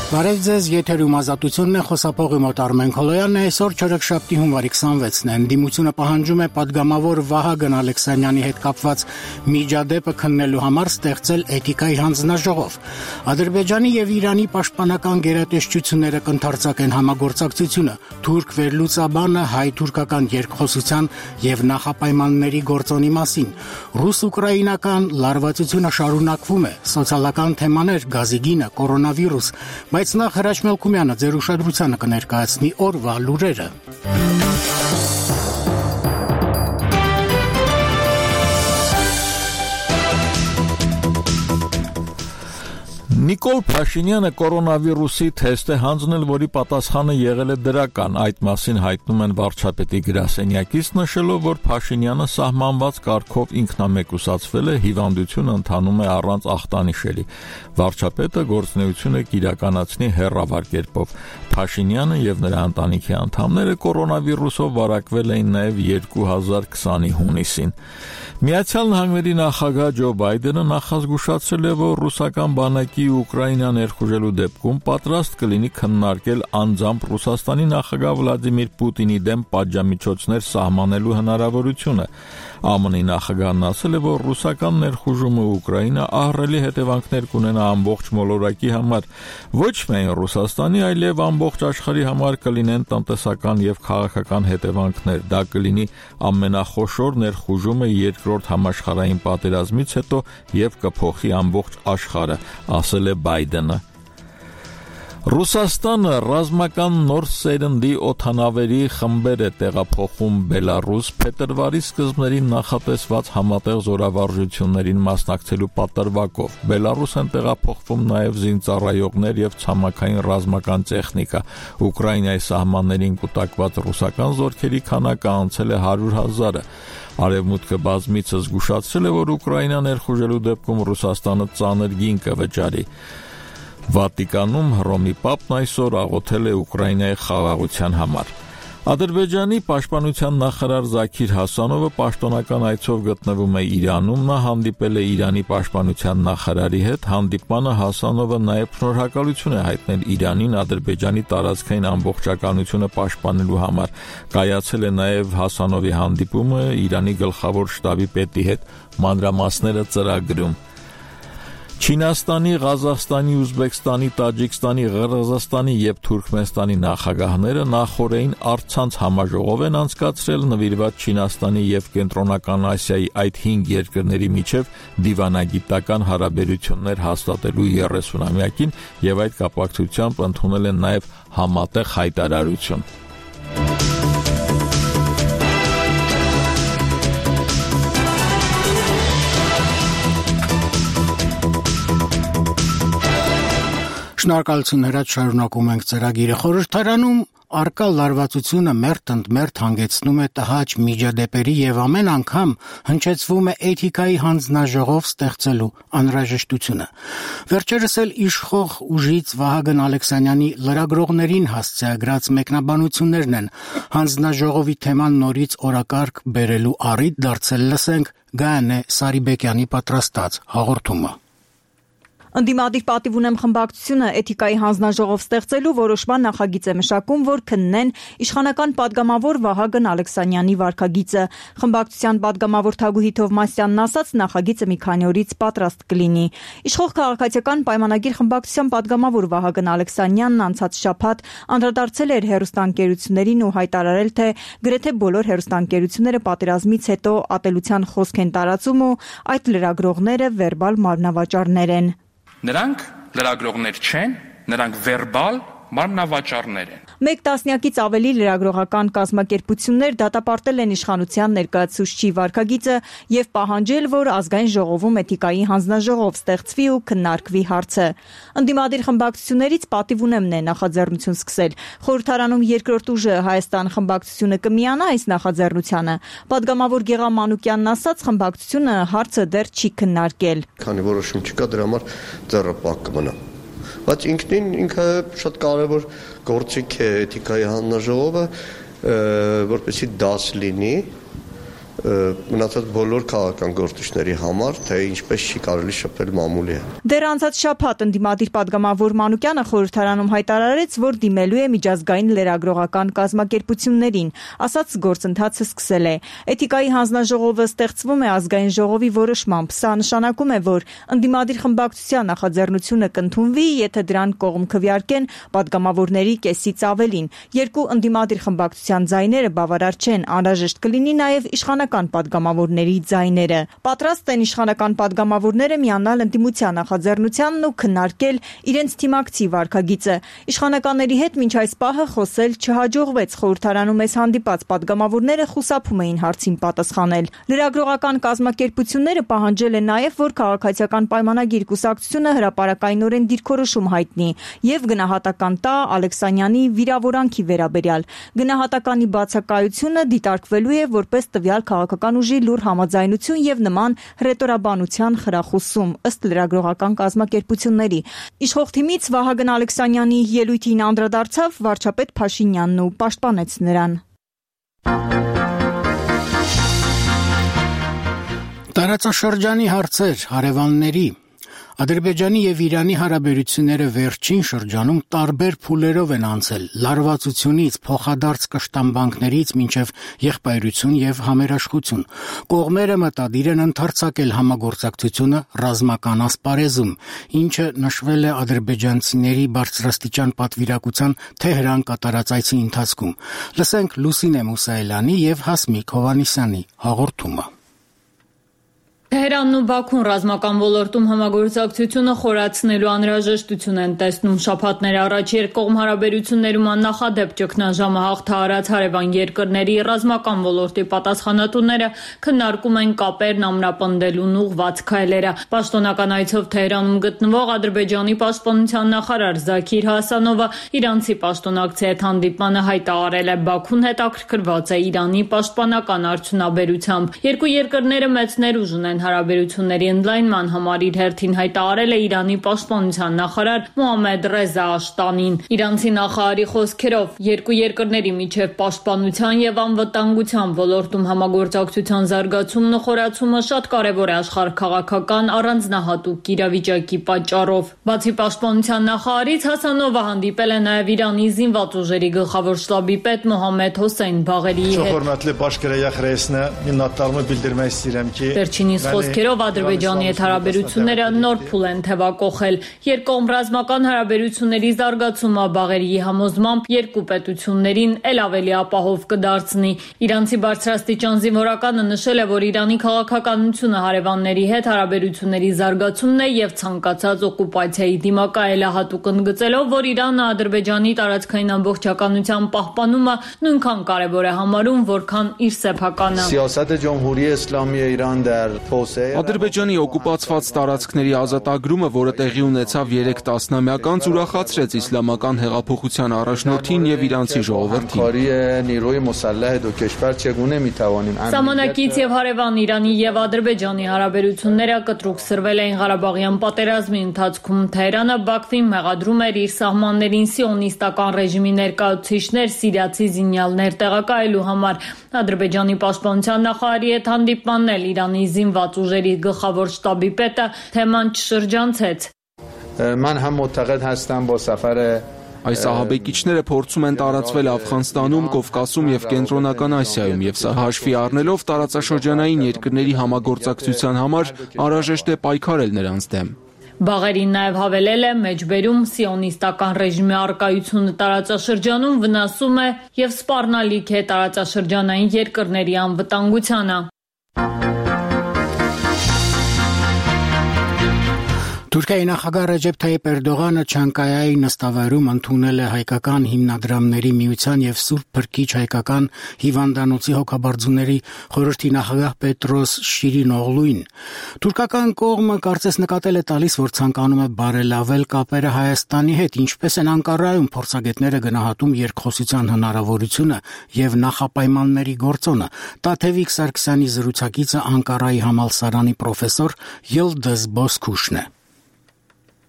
Բարև ձեզ, եթերում ազատությունն է, խոսափողի մոտ Արմեն Քոլոյանն է, այսօր չորեքշաբթի հունվարի 26-ն է, ընդդիմությունը պահանջում է պատգամավոր Վահագն Ալեքսանյանի հետ կապված միջադեպը քննելու համար ստեղծել էթիկայի հանձնաժողով։ Ադրբեջանի եւ Իրանի պաշտպանական գերատեսչությունները կընդարձակեն համագործակցությունը, թուրք վերլուծաբանը հայ-թուրքական երկխոսության եւ նախապայմանների գործոնի մասին, ռուս-ուկրաինական լարվածությունը շարունակվում է, սոցիալական թեմաներ, գազի գինը, կորոնավիրուս, բայց նախ Հրաչ Մելքումյանը ձեր ուշադրությանը կներկայացնի օրվա լուրերը։ Նիկոլ Փաշինյանը կորոնավիրուսի թեստ է հանձնել, որի պատասխանը եղել է դրական։ Այդ մասին հայտնում են վարչապետի գրասենյակից, նշելով, որ Փաշինյանը սահմանված կարգով ինքնամեկուսացվել է, հիվանդությունը ընթանում է առանց ախտանիշելի։ Վարչապետը գործունեությունը կիրականացնի հեռավար կերպով։ Փաշինյանը եւ նրա ընտանիքի անդամները կորոնավիրուսով վարակվել էին նաեւ 2020-ի հունիսին։ Միացյալ Նահանգների նախագահ Ջո Բայդենը նախազգուշացրել է, որ ռուսական բանակի Ուկրաինա ներխուժելու դեպքում պատրաստ կլինի քննարկել անձամբ Ռուսաստանի նախագահ Վլադիմիր Պուտինի դեմ պատժամիջոցներ սահմանելու հնարավորությունը։ ԱՄՆ-ի նախագահն ասել է, որ ռուսական ներխուժումը Ուկրաինա ահռելի հետևանքներ կունենա ամբողջ մոլորակի համար, ոչ միայն Ռուսաստանի, այլև ամբողջ աշխարհի համար կլինեն տնտեսական եւ քաղաքական հետևանքներ։ Դա կլինի ամենախոշոր ներխուժումը Երկրորդ համաշխարհային պատերազմից հետո եւ կփոխի ամբողջ աշխարհը, ասել է Բայդենը։ Ռուսաստանը ռազմական նոր սերնդի օդանավերի խմբեր է տեղափոխում Բելարուս փետրվարի սկզբներին նախատեսված համատեղ զորավարժություններին մասնակցելու պատրվակով։ Բելարուս են տեղափոխվում նաև զինծառայողներ եւ ցամաքային ռազմական տեխնիկա։ Ուկրաինայի սահմաններին կուտակված ռուսական զորքերի քանակը անցել է 100,000-ը։ Արևմուտքը բազմիցս զգուշացրել է, որ Ուկրաինա ներխուժելու դեպքում Ռուսաստանը ծանր գին կվճարի։ Վատիկանում Հռոմի Պապն այսօր աղոթել է Ուկրաինայի խաղաղության համար։ Ադրբեջանի պաշտպանության նախարար Զաքիր Հասանովը պաշտոնական այցով գտնվում է Իրանում, նա հանդիպել է Իրանի պաշտպանության նախարարի հետ, հանդիպմանը Հասանովը նաև շնորհակալություն է հայտնել Իրանին Ադրբեջանի տարածքային ամբողջականությունը պաշտպանելու համար։ Կայացել է նաև Հասանովի հանդիպումը Իրանի գլխավոր շտաբի պետի հետ, մանրամասները ծրագրում։ Չինաստանի, Ղազախստանի, Ուզբեկստանի, Տաջիկստանի, Ղրղզստանի եւ Թուրքմենստանի նախագահները նախորդին առցանց համաժողով են անցկացրել նվիրված Չինաստանի եւ Կենտրոնական Ասիայի այդ 5 երկրների միջև դիվանագիտական հարաբերություններ հաստատելու 30-ամյակին եւ այդ կապակցությամբ ընդունել են նաեւ համատեղ հայտարարություն։ Շնորհակալություն Հրաչ, շարունակում ենք ծրագիրը։ Խորհրդարանում արկա լարվածությունը մերթ ընդ մերթ հանգեցնում է տհաճ միջադեպերի եւ ամեն անգամ հնչեցվում է էթիկայի հանձնաժողով ստեղծելու անհրաժեշտությունը։ Վերջերս էլ իշխող ուժից Վահագն Ալեքսանյանի լրագրողներին հասցեագրած մեկնաբանություններն են հանձնաժողովի թեման նորից օրակարգ բերելու առիթ դարձել։ Լսենք Գայանե Սարիբեկյանի պատրաստած հաղորդումը։ Ընդդիմադիր պատիվ ունեմ խմբակցությունը էթիկայի հանձնաժողով ստեղծելու որոշման նախագիծ է մշակում, որ քննեն իշխանական падգամավոր Վահագն Ալեքսանյանի վարքագիծը։ Խմբակցության падգամավոր Թագուհի Թովմասյանն ասաց, նախագիծը մի քանի օրից պատրաստ կլինի։ Իշխող քաղաքացիական պայմանագիր խմբակցության падգամավոր Վահագն Ալեքսանյանն անցած շաբաթ անդրադարձել էր հեռուստաընկերություններին ու հայտարարել, թե գրեթե բոլոր հեռուստաընկերությունները պատերազմից հետո ատելության խոսք են տարածում ու այդ լրագրողները վերբալ մարմնավաճառներ են։ Նրանք լրագրողներ չեն, նրանք վերբալ մարմնավաճառներ են։ Մեկ տասնյակից ավելի լրագրողական կազմակերպություններ դատապարտել են իշխանության ներկայացուցչի վարքագիծը եւ պահանջել, որ ազգային ժողովում էթիկայի հանձնաժողով ստեղծվի ու քննարկվի հարցը։ Ընդդիմադիր խմբակցություններից պատիվ ունեմն է նախաձեռնություն սկսել։ Խորհրդարանում երկրորդ ուժը Հայաստան խմբակցությունը կմիանա այս նախաձեռնությանը։ Պատգամավոր Գեղամ Մանուկյանն ասաց, խմբակցությունը հարցը դեռ չի քննարկել։ Քանի որոշում չկա, դրա համար ձեռը պակ կմնա։ Բայց ինքը շատ կարևոր գործիք է էթիկայի հանձնաժողովը, որպեսզի դաս լինի մնացած բոլոր քաղաքական գործիչների համար, թե ինչպես չի կարելի շփվել մամուլի հետ։ Դեռ անցած շաբաթ ընդդիմադիր պատգամավոր Մանուկյանը խորհրդարանում հայտարարեց, որ դիմելու է միջազգային լրագրողական կազմակերպություններին, ասաց գործընթացը սկսել է։ Էթիկայի հանձնաժողովը ստեղծվում է ազգային ժողովի որոշմամբ։ Սա նշանակում է, որ ընդդիմադիր խմբակցության նախաձեռնությունը կընդունվի, եթե դրան կողմ քվեարկեն պատգամավորների կեսից ավելին։ Երկու ընդդիմադիր խմբակցության ձայները բավարար չեն, անհրաժեշտ կլինի նաև իշխանական պատգամավորների ձայները։ Պատրաստ են իշխանական պատգամավորները միանալ ընդդիմության նախաձեռնությանն ու քննարկել իրենց թիմակցի վարքագիծը։ Իշխանականների հետ մինչ այս պահը խոսել չհաջողվեց, խորհրդարանում այս հանդիպած պատգամավորները խուսափում էին հարցին պատասխանել։ Լրագրողական կազմակերպությունները պահանջել են նաև, որ քաղաքացիական պայմանագիր կուսակցությունը հրապարակայնորեն դիրքորոշում հայտնի եւ գնահատական տա Ալեքսանյանի վիրավորանքի վերաբերյալ։ Գնահատականի բացակայությունը դիտարկվելու է որպես տվյալ քաղաքական ուժի լուռ համաձայնություն եւ նման հռետորաբանության խրախուսում, ըստ լրագրողական կազմակերպությունների։ Իշխող թիմից Վահագն Ալեքսանյանի ելույթին անդրադարձավ վարչապետ Փաշինյանն ու պաշտպանեց նրան։ Տարածաշրջանի հարցեր հարևանների Ադրբեջանի եւ Իրանի հարաբերությունները վերջին շրջանում տարբեր փուլերով են անցել՝ լարվածությունից, փոխադարձ կշտամբանքներից մինչև եղբայրություն եւ համերաշխություն։ Կողմերը մտադիր են ընդարձակել համագործակցությունը ռազմական ասպարեզում, ինչը նշվել է ադրբեջանցիների բարձրաստիճան պատվիրակության Թեհրան կատարած այցի ընթացքում։ Լսենք Լուսինե Մուսայելյանի եւ Հասմիկ Հովհաննիսյանի հաղորդումը։ Թեհրանն ու Բաքուն ռազմական ոլորտում համագործակցությունը խորացնելու անհրաժեշտություն են տեսնում։ Շաբաթներ առաջ երկկողմ հարաբերություններում աննախադեպ ճգնաժամը հաղթահարած հարևան երկրների ռազմական ոլորտի պատասխանատուները քննարկում են կապերն ամրապնդելուն ուղղված քայլերը։ Պաշտոնական այցով Թեհրանում գտնվող Ադրբեջանի պաշտպանության նախարար Զաքիր Հասանովը իրանցի պաշտոնակցի հետ հանդիպմանը հայտարարել է, Բաքուն հետաքրքրված է Իրանի պաշտպանական արդյունաբերությամբ։ Երկու երկրները մեծ ներուժ ունեն հարաբերությունների ընդլայնման համար իր հերթին հայտարարել է Իրանի պաշտպանության նախարար Մոհամմեդ Ռեզա Աշտանին։ Իրանցի նախարարի խոսքերով երկու երկրների միջև պաշտպանության եւ անվտանգության ոլորտում համագործակցության զարգացումն ու խորացումը շատ կարեւոր է աշխարհաքաղաքական առանձնահատուկ իրավիճակի պատճառով։ Բացի պաշտպանության նախարարից Հասանովը հանդիպել է նաեւ Իրանի զինված ուժերի գլխավոր շտաբի պետ Մոհամմեդ Հոսեյն Բաղերիի հետ։ Վերջինիս խոսքերով Ադրբեջանի հետ հարաբերությունները նոր փուլ են թևակողել։ Երկկողմ ռազմական հարաբերությունների զարգացումը Բաղերիի համոզմամբ երկու պետություններին ել ավելի ապահով կդարձնի։ Իրանցի բարձրաստիճան զինվորականը նշել է, որ Իրանի քաղաքականությունը հարևանների հետ հարաբերությունների զարգացումն է եւ ցանկացած օկուպացիայի դիմակայելահատուկ ընդգծելով, որ Իրանը Ադրբեջանի տարածքային ամբողջականության պահպանումը նույնքան կարեւոր է համարում, որքան իր սեփականը։ Ադրբեջանի օկուպացված տարածքների ազատագրումը, որը տեղի ունեցավ 3 տասնամյակ անց, ուրախացրեց իսլամական հեղափոխության առաջնորդին եւ իրանցի ժողովրդին։ Սահմանակից եւ հարևան Իրանի եւ Ադրբեջանի հարաբերությունները կտրուկ սրվել էին Ղարաբաղյան պատերազմի ընթացքում։ Թեհրանը Բաքվին մեղադրում էր իր սահմաններին սիոնիստական ռեժիմի ներկայացուցիչներ, սիրիացի զինյալներ տեղակայելու համար։ Ադրբեջանի պաշտպանության նախարարի հետ հանդիպմանն էլ Իրանի զինված ուժերի գլխավոր շտաբի պետը թեման չշրջանցեց։ Այս ահաբեկիչները փորձում են տարածվել Աֆղանստանում, Կովկասում եւ Կենտրոնական Ասիայում, եւ սա հաշվի առնելով տարածաշրջանային երկրների համագործակցության համար անհրաժեշտ է պայքարել նրանց դեմ։ Բաղերին նաև հավելել է, մեջբերում սիոնիստական ռեժիմի առկայությունը տարածաշրջանում վնասում է եւ սպառնալիք է տարածաշրջանային երկրների անվտանգությանը։ Թուրքիայի նախագահ Ռեջեփ Թայիփ Էրդողանը Չանկայայի նստավայրում ընդունել է հայկական հիմնադրամների միության եւ Սուրբ Փրկիչ հայկական հիվանդանոցի հոգաբարձուների խորհրդի նախագահ Պետրոս Շիրինօղլուին։ Թուրքական կողմը կարծես նկատել է տալիս, որ ցանկանում է բարելավել կապերը Հայաստանի հետ, ինչպես են Անկարայում փորձագետները գնահատում երկխոսության հնարավորությունը եւ նախապայմանների գործոնը։ Տաթևիկ Սարգսյանի զրուցակիցը Անկարայի համալսարանի պրոֆեսոր Յիլդիզ Բոսքուշն է։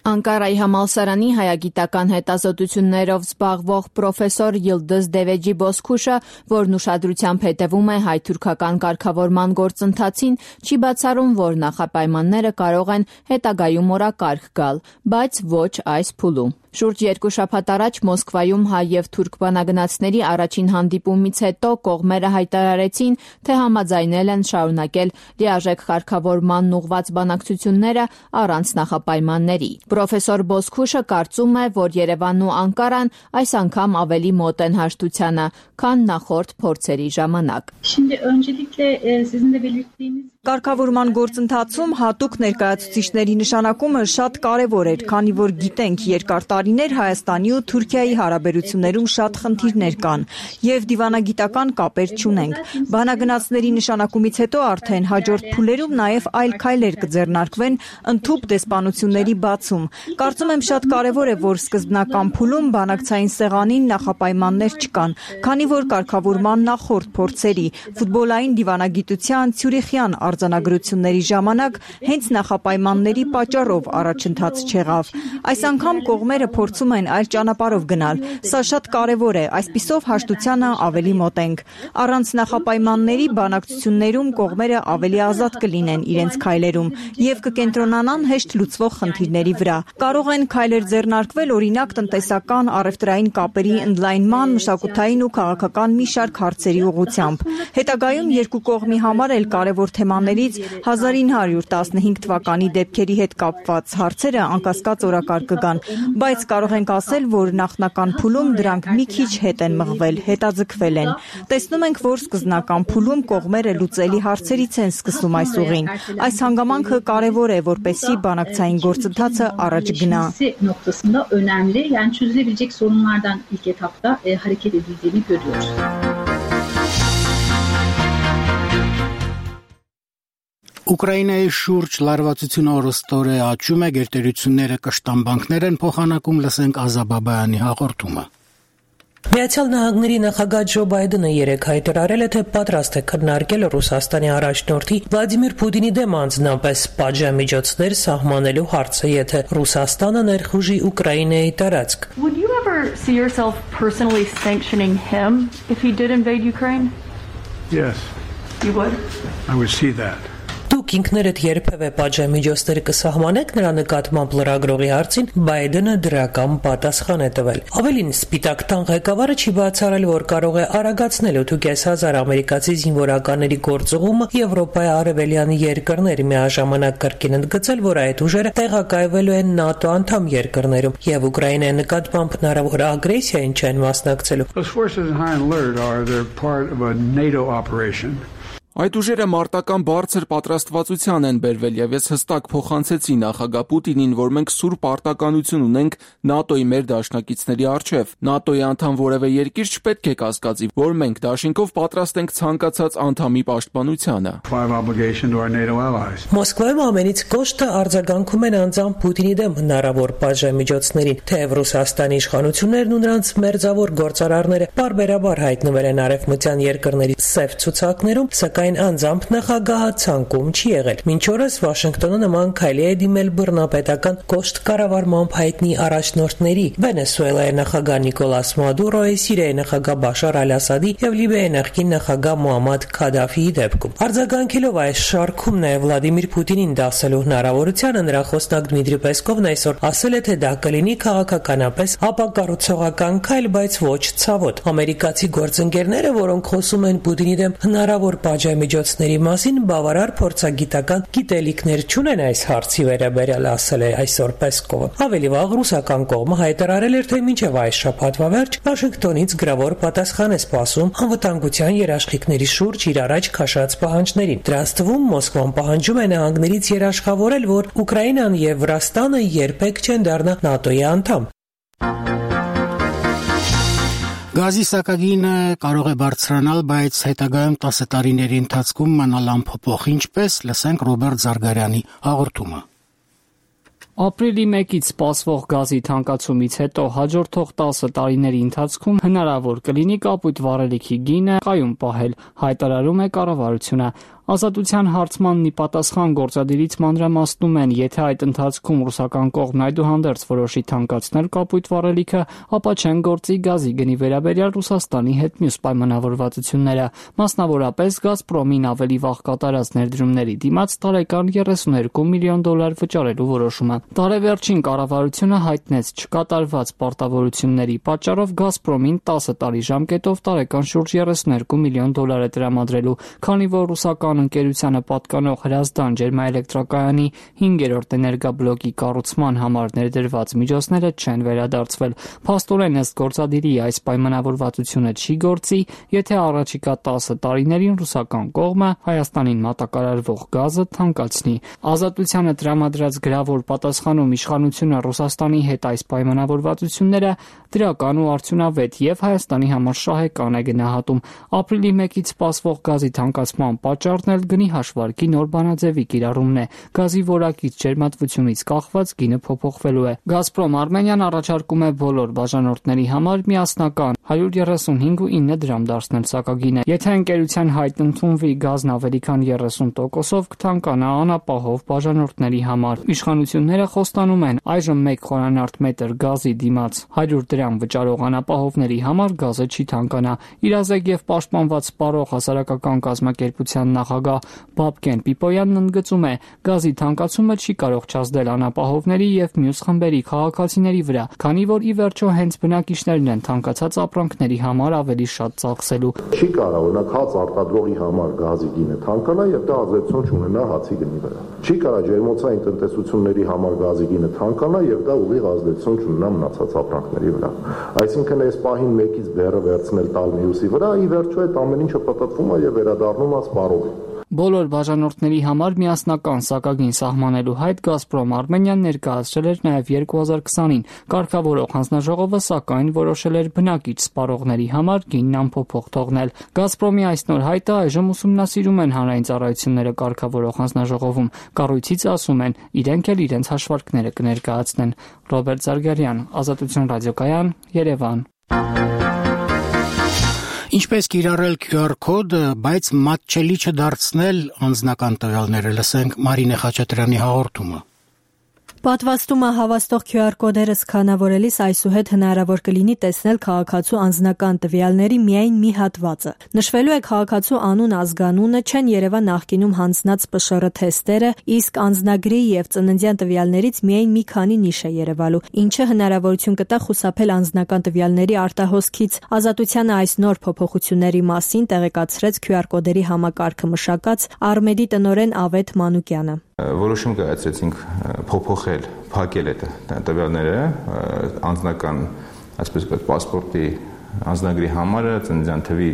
Անկարայի համալսարանի հայագիտական հետազոտություններով զբաղվող պրոֆեսոր Yıldız Deveci Bozkuşը, որն ուշադրությամբ հետևում է հայ-թուրքական կարգավորման գործընթացին, չի բացառում, որ նախապայմանները կարող են հետագայում օրակարգ գալ, բայց ոչ այս փուլում։ Շուրջ 2 շաբաթ առաջ Մոսկվայում հայ եւ թուրք բանագնացների առաջին հանդիպումից հետո կողմերը հայտարարեցին, թե համաձայնել են շարունակել լիարժեք կարգավորմանն ուղղված բանակցությունները առանց նախապայմանների։ Պրոֆեսոր Bozkuşը կարծում է, որ Երևանն ու Անկարան այս անգամ ավելի մոտ են հաշտությանը, քան նախորդ փորձերի ժամանակ։ Կարգավորման գործընթացում հատուկ ներկայացուցիչների նշանակումը շատ կարևոր էր, քանի որ գիտենք երկար տարիներ Հայաստանի ու Թուրքիայի հարաբերություններում շատ խնդիրներ կան եւ դիվանագիտական կապեր չունենք։ Բանագնացների նշանակումից հետո արդեն հաջորդ փուլերում նաեւ այլ քայլեր կձեռնարկվեն ընդհուպ դեսպանությունների բացում։ Կարծում եմ շատ կարևոր է, որ սկզբնական փուլում բանակցային սեղանին նախապայմաններ չկան, քանի որ կարգավորման նախորդ փորձերի ֆուտբոլային դիվանագիտության Ցյուրիխյան արձանագրությունների ժամանակ հենց նախապայմանների պատճառով առաջընթաց չեղավ։ Այս անգամ կողմերը փորձում են այլ ճանապարհով գնալ։ Սա շատ կարևոր է, այսպիսով հաշտությանը ավելի մոտ ենք։ Առանց նախապայմանների բանակցություններում կողմերը ավելի ազատ կլինեն իրենց քայլերում եւ կկենտրոնանան հեշտ լուծվող խնդիրների վրա։ Կարող են քայլեր ձեռնարկվել, օրինակ տնտեսական, առևտրային կապերի ընդլայնման, մշակութային ու քաղաքական մի շարք հարցերի ուղղությամբ։ Հետագայում երկու կողմի համար էլ կարևոր թեմաներից 1915 թվականի դեպքերի հետ կապված հարցերը անկասկած օրակարգ կգան, բայց կարող ենք ասել, որ նախնական փուլում դրանք մի քիչ հետ են մղվել, հետաձգվել են։ Տեսնում ենք, որ սկզբնական փուլում կողմերը լուծելի հարցերից են սկսում այս ուղին։ Այս հանգամանքը կարևոր է, որպեսզի բանակցային գործընթացը առաջ գնա։ Ուկրաինայի շուրջ լարվածությունը օրստորե աճում է, գերտերությունները կշտան բանկներ են փոխանակում, լսենք Ազաբաբայանի հաղորդումը։ Միացյալ Նահանգների նախագահ Ջո Բայդենը երեկ հայտարարել է, թե պատրաստ է քննարկել Ռուսաստանի առաջնորդի Վլադիմիր Պուտինի դեմ անձնապես պատժամիջոցներ սահմանելու հարցը, եթե Ռուսաստանը ներխուժի Ուկրաինայի տարածք։ Would you ever see yourself personally sanctioning him if he did invade Ukraine? Yes. You would? I would see that. Դուք ինքներդ երբևէ պատժամիջոցներ կսահմանեք նրա նկատմամբ լրագրողի հարցին, Բայդենը դրական պատասխան է տվել։ Ավելին, Սպիտակ տան ղեկավարը չի բացառել, որ կարող է արագացնել 8,500 ամերիկացի զինվորականների գործուղումը Եվրոպայի արևելյան երկրներ, միաժամանակ կրկին ընդգծել, որ այդ ուժերը տեղակայվելու են ՆԱՏՕ անդամ երկրներում եւ Ուկրաինայի նկատմամբ հնարավոր ագրեսիային չեն մասնակցելու։ Those forces in high alert they're part of a NATO operation. Այդ ուժերը մարտական բարձր պատրաստվածության են բերվել եւ ես հստակ փոխանցեցի նախագահ Պուտինին, որ մենք սուրբ պարտականություն ունենք ՆԱՏՕ-ի մեր դաշնակիցների առջև։ ՆԱՏՕ-ի անդամ որևէ երկիր չպետք է կասկածի, որ մենք դաշինքով պատրաստ ենք ցանկացած անդամի պաշտպանությանը։ Մոսկվայում ամենից կոշտը արձագանքում են անձամբ Պուտինի դեմ հնարավոր պատժամիջոցներին, թեև Ռուսաստանի իշխանություններն ու նրանց մերձավոր գործարարները բարբերաբար հայտնվել են արևմտյան երկրների սև ցուցակներում, սակայն անձամբ նախագահը ցանկում չի եղել։ Մինչ օրս Վաշինգտոնը նման քայլի է դիմել բռնապետական կոշտ կառավարման հայտնի առաջնորդների՝ Վենեսուելայի նախագահ Նիկոլաս Մադուրոյի, Սիրիայի նախագահ Բաշար Ալ-Ասադի եւ Լիբիայի նախկին նախագահ Մուամմադ Քադաֆիի դեպքում։ Արձագանքելով այս շարքում նաեւ Վլադիմիր Պուտինին դասելու հնարավորությանը, նրա խոսնակ Դմիտրի Պեսկովն այսօր ասել է, թե դա կլինի քաղաքականապես ապակառուցողական քայլ, բայց ոչ ցավոտ։ Ամերիկացի գործընկերները, որոնք խոսում են Պուտինի դեմ հնարավոր պատժամիջոցների մասին, բավարար փորձագիտական գիտելիքներ չունեն այս հարցի վերաբերյալ, ասել է այսօր Պեսկովը։ Ավելի վաղ ռուսական կողմը հայտարարել էր, թե մինչև այս շաբաթվա վերջ Վաշինգտոնից գրավոր պատասխան է սպասում անվտանգության երաշխիքների շուրջ իր առաջ քաշած պահանջներին։ Դրանց թվում Մոսկվան պահանջում է նահանգներից երաշխավորել, որ Ուկրաինան եւ Վրաստանը երբեք չեն դառնա ՆԱՏՕ-ի անդամ։ Գազի սակագինը կարող է բարձրանալ, բայց հետագայում 10 տարիների ընթացքում մնալ անփոփոխ, ինչպես լսենք Ռոբերտ Զարգարյանի հաղորդումը։ Ապրիլի 1-ից սպասվող գազի թանկացումից հետո հաջորդող 10 տարիների ընթացքում հնարավոր կլինի կապույտ վառելիքի գինը կայուն պահել, հայտարարում է կառավարությունը։ Ազատության հարցմանն ի պատասխան գործադիրից մանրամասնում են, եթե այդ ընթացքում ռուսական կողմն այդուհանդերձ որոշի թանկացնել կապույտ վառելիքը, ապա չեն գործի գազի գնի վերաբերյալ Ռուսաստանի հետ մյուս պայմանավորվածությունները, մասնավորապես Գազպրոմին ավելի վաղ կատարած ներդրումների դիմաց տարեկան $32 միլիոն վճարելու որոշումը։ Տարեվերջին կառավարությունը հայտնեց չկատարված պարտավորությունների պատճառով Գազպրոմին 10 տարի ժամկետով տարեկան շուրջ $32 միլիոն է տրամադրելու, քանի որ ռուսական ընկերությանը պատկանող Հրազդան ջերմաէլեկտրակայանի 5-րդ էներգաբլոկի կառուցման համար ներդրված միջոցները չեն վերադարձվել։ Փաստորեն ըստ գործադիրի այս պայմանավորվածությունը չի գործի, եթե առաջիկա 10 տարիներին ռուսական կողմը Հայաստանին մատակարարվող գազը թանկացնի։ Ազատությանը տրամադրած գրավոր պատասխանում իշխանությունը Ռուսաստանի հետ այս պայմանավորվածությունները դրական ու արդյունավետ եւ Հայաստանի համար շահեկան է գնահատում։ Ապրիլի 1-ից սպասվող գազի թանկացման պատճառն էլ գնի հաշվարկի նոր բանաձևի կիրառումն է։ Գազի որակից ջերմատվությունից կախված գինը փոփոխվելու է։ Գազպրոմ Արմենիան առաջարկում է բոլոր բաժանորդների համար միասնական 135.9 դրամ դարձնել սակագինը։ Եթե ընկերության հայտ ընդունվի, գազն ավելի քան 30%-ով կթանկանա անապահով բաժանորդների համար։ Իշխանությունները խոստանում են այժմ 1 խորանարդ մետր գազի դիմաց 100 դրամ վճարող անապահովների համար գազը չի թանկանա։ Իրազեկ եւ պաշտպանված սպառող հասարակական կազմակերպության նախագահ Բաբկեն Պիպոյանն ընդգծում է, գազի թանկացումը չի կարող չազդել անապահովների եւ մյուս խմբերի քաղաքացիների վրա, քանի որ ի վերջո հենց բնակիչներն են թանկացած ապրանքների համար ավելի շատ ծախսելու։ Չի կարող օրինակ հաց արտադրողի համար գազի գինը թանկանա եւ դա ազդեցություն չունենա հացի գնի վրա։ Չի կարող ջերմոցային տնտեսությունների համար գազի գինը թանկանա եւ դա ուղիղ ազդեցություն չունենա մնացած ապրանքների վրա։ Այսինքն այս պահին մեկից բեռը վերցնել տալ մյուսի վրա, ի վերջո այդ ամեն ինչը պատտվում է եւ վերադառնում է սպառողին։ Բոլոր բաժանորդների համար միասնական սակագին սահմանելու հայտ Գազպրոմ Արմենիան ներկայացրել էր նաև 2020-ին։ Կարգավորող հանձնաժողովը սակայն որոշել էր բնակիչ սպառողների համար գինն անփոփոխ թողնել։ Գազպրոմի այս նոր հայտը այժմ ուսումնասիրում են հանրային ծառայությունները կարգավորող հանձնաժողովում։ Կառույցից ասում են, իրենք էլ իրենց հաշվարկները կներկայացնեն։ Ռոբերտ Զարգարյան, Ազատություն ռադիոկայան, Երևան։ Ինչպես կիրառել QR կոդը, բայց մատչելի չդարձնել անձնական տվյալները, լսենք Մարինե Խաչատրյանի հաղորդումը։ Պատվաստումը հավաստող QR կոդերը սկանավորելիս այսուհետ հնարավոր կլինի տեսնել քաղաքացու անձնական տվյալների միայն մի հատվածը։ Նշվելու է քաղաքացու անուն, ազգանունը, չեն Երևան նախկինում հանձնած ՊՇՌ թեստերը, իսկ անձնագրի եւ ծննդյան տվյալներից միայն մի քանի նիշ է երևալու, ինչը հնարավորություն կտա խուսափել անձնական տվյալների արտահոսքից։ Ազատությանը այս նոր փոփոխությունների մասին տեղեկացրեց QR կոդերի համակարգը մշակած Արմեդի տնօրեն Ավետ Մանուկյանը։ Որոշում կայացրեցինք փոփոխել, փակել այդ տվյալները անձնական, այսպես ասած, պասպորտի անձնագրի համարը ծննդյան թվի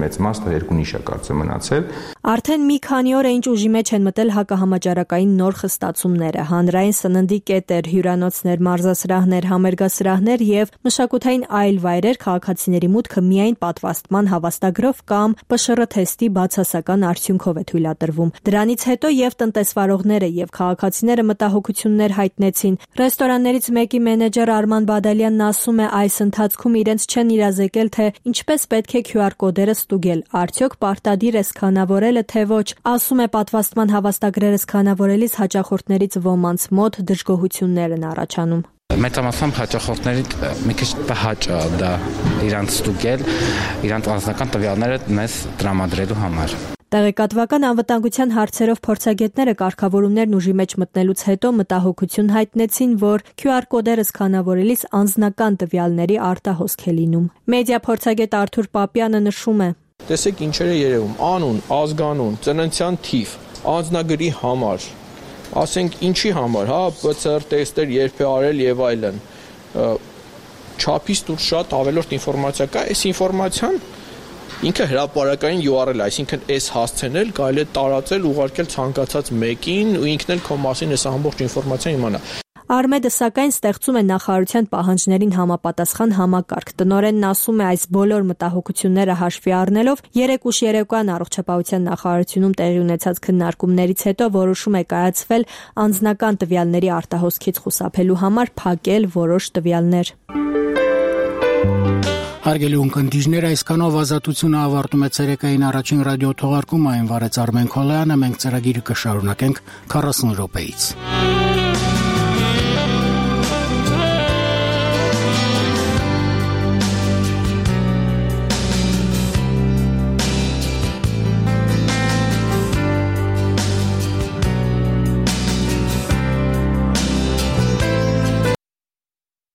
մեծ մասը 2 նիշ է կարծեմ մնացել։ Արդեն մի քանի օր է ինչ ուժի մեջ են մտել հակահամաճարակային նոր խստացումները, հանրային սննդի կետեր, հյուրանոցներ, մարզասրահներ, համերգասրահներ եւ մշակութային այլ վայրեր քաղաքացիների մուտքը միայն պատվաստման հավաստագրով կամ ՊՇՌ թեստի բացասական արդյունքով է թույլատրվում։ Դրանից հետո եւ տնտեսվարողները եւ քաղաքացիները մտահոգություններ հայտնեցին։ Ռեստորաններից մեկի մենեջեր Արման Բադալյանն ասում է, այս ընթացքում իրենց չեն իրազեկել, թե ինչպես պետք է QR կոդերը ստուգել, արդյոք պարտադիր է սկանավորելը, թե ոչ։ Ասում է, պատվաստման հավաստագրերը սկանավորելիս հաճախորդներից ոմանց մոտ դժգոհություններ են առաջանում։ Մեծամասամբ հաճախորդների մի քիչ տհաճ է դա իրանց ստուգել, իրանց անձնական տվյալները մեզ տրամադրելու համար։ Տեղեկատվական անվտանգության հարցերով փորձագետները կարգավորումներն ուժի մեջ մտնելուց հետո մտահոգություն հայտնեցին, որ QR կոդերը սկանավորելիս անձնական տվյալների արտահոսք է լինում։ Մեդիա փորձագետ Արթուր Պապյանը նշում է. Տեսեք ինչեր է երևում՝ անուն, ազգանուն, ծննդյան թիվ, անձնագրի համար, ասենք ինչի համար, PCR տեստեր երբ է արել եւ այլն։ Չափից դուրս շատ ավելորդ ինֆորմացիա կա, այս ինֆորմացիան ինքը հրապարակային URL, այսինքն այս հասցենել կարելի է տարածել, ուղարկել ցանկացած մեկին ու ինքն էլ քո մասին այս ամբողջ ինֆորմացիան իմանա։ Արմեդը սակայն ստեղծում է նախարարության պահանջներին համապատասխան համակարգ։ Տնօրենն ասում է, այս բոլոր մտահոգությունները հաշվի առնելով 3 ուշ երեկոյան առողջապահության նախարարությունում տեղի ունեցած քննարկումներից հետո որոշում է կայացվել անձնական տվյալների արտահոսքից խուսափելու համար փակել որոշ տվյալներ։ Հարգելի ունկնդիրներ, այսքանով ազատությունը ավարտում է ցերեկային առաջին ռադիո թողարկումը, այն վարեց Արմեն Քոլյանը, մենք ծրագիրը կշարունակենք 40 րոպեից։